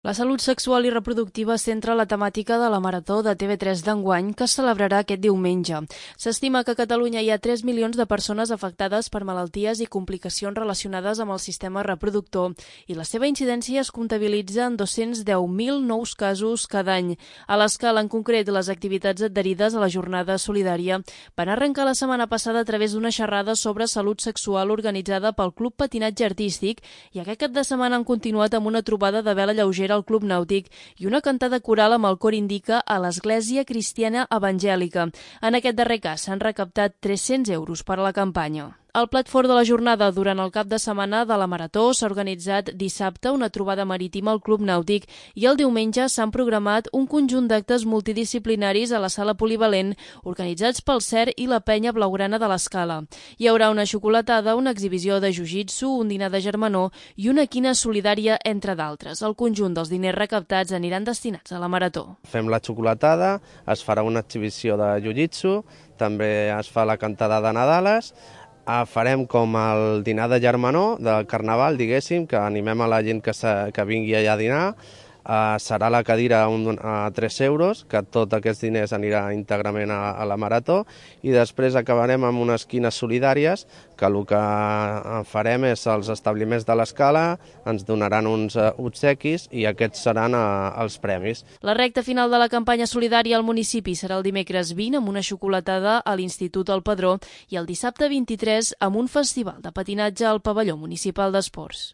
La salut sexual i reproductiva centra la temàtica de la Marató de TV3 d'enguany, que es celebrarà aquest diumenge. S'estima que a Catalunya hi ha 3 milions de persones afectades per malalties i complicacions relacionades amb el sistema reproductor i la seva incidència es comptabilitza en 210.000 nous casos cada any. A l'escala, en concret, les activitats adherides a la jornada solidària van arrencar la setmana passada a través d'una xerrada sobre salut sexual organitzada pel Club Patinatge Artístic i aquest cap de setmana han continuat amb una trobada de vela lleugera al Club Nàutic i una cantada coral amb el cor Indica a l'Església Cristiana Evangèlica. En aquest darrer cas s'han recaptat 300 euros per a la campanya. Al plat fort de la jornada durant el cap de setmana de la Marató s'ha organitzat dissabte una trobada marítima al Club Nàutic i el diumenge s'han programat un conjunt d'actes multidisciplinaris a la sala polivalent organitzats pel CER i la Penya Blaugrana de l'Escala. Hi haurà una xocolatada, una exhibició de jiu-jitsu, un dinar de germanor i una quina solidària, entre d'altres. El conjunt dels diners recaptats aniran destinats a la Marató. Fem la xocolatada, es farà una exhibició de jiu-jitsu, també es fa la cantada de Nadales. Farem com el dinar de germanor del Carnaval, diguéssim, que animem a la gent que vingui allà a dinar. Serà la cadira a 3 euros, que tots aquests diners anirà íntegrament a la Marató, i després acabarem amb unes quines solidàries, que el que farem és els establiments de l'Escala, ens donaran uns obsequis i aquests seran els premis. La recta final de la campanya solidària al municipi serà el dimecres 20 amb una xocolatada a l'Institut El Padró i el dissabte 23 amb un festival de patinatge al pavelló municipal d'esports.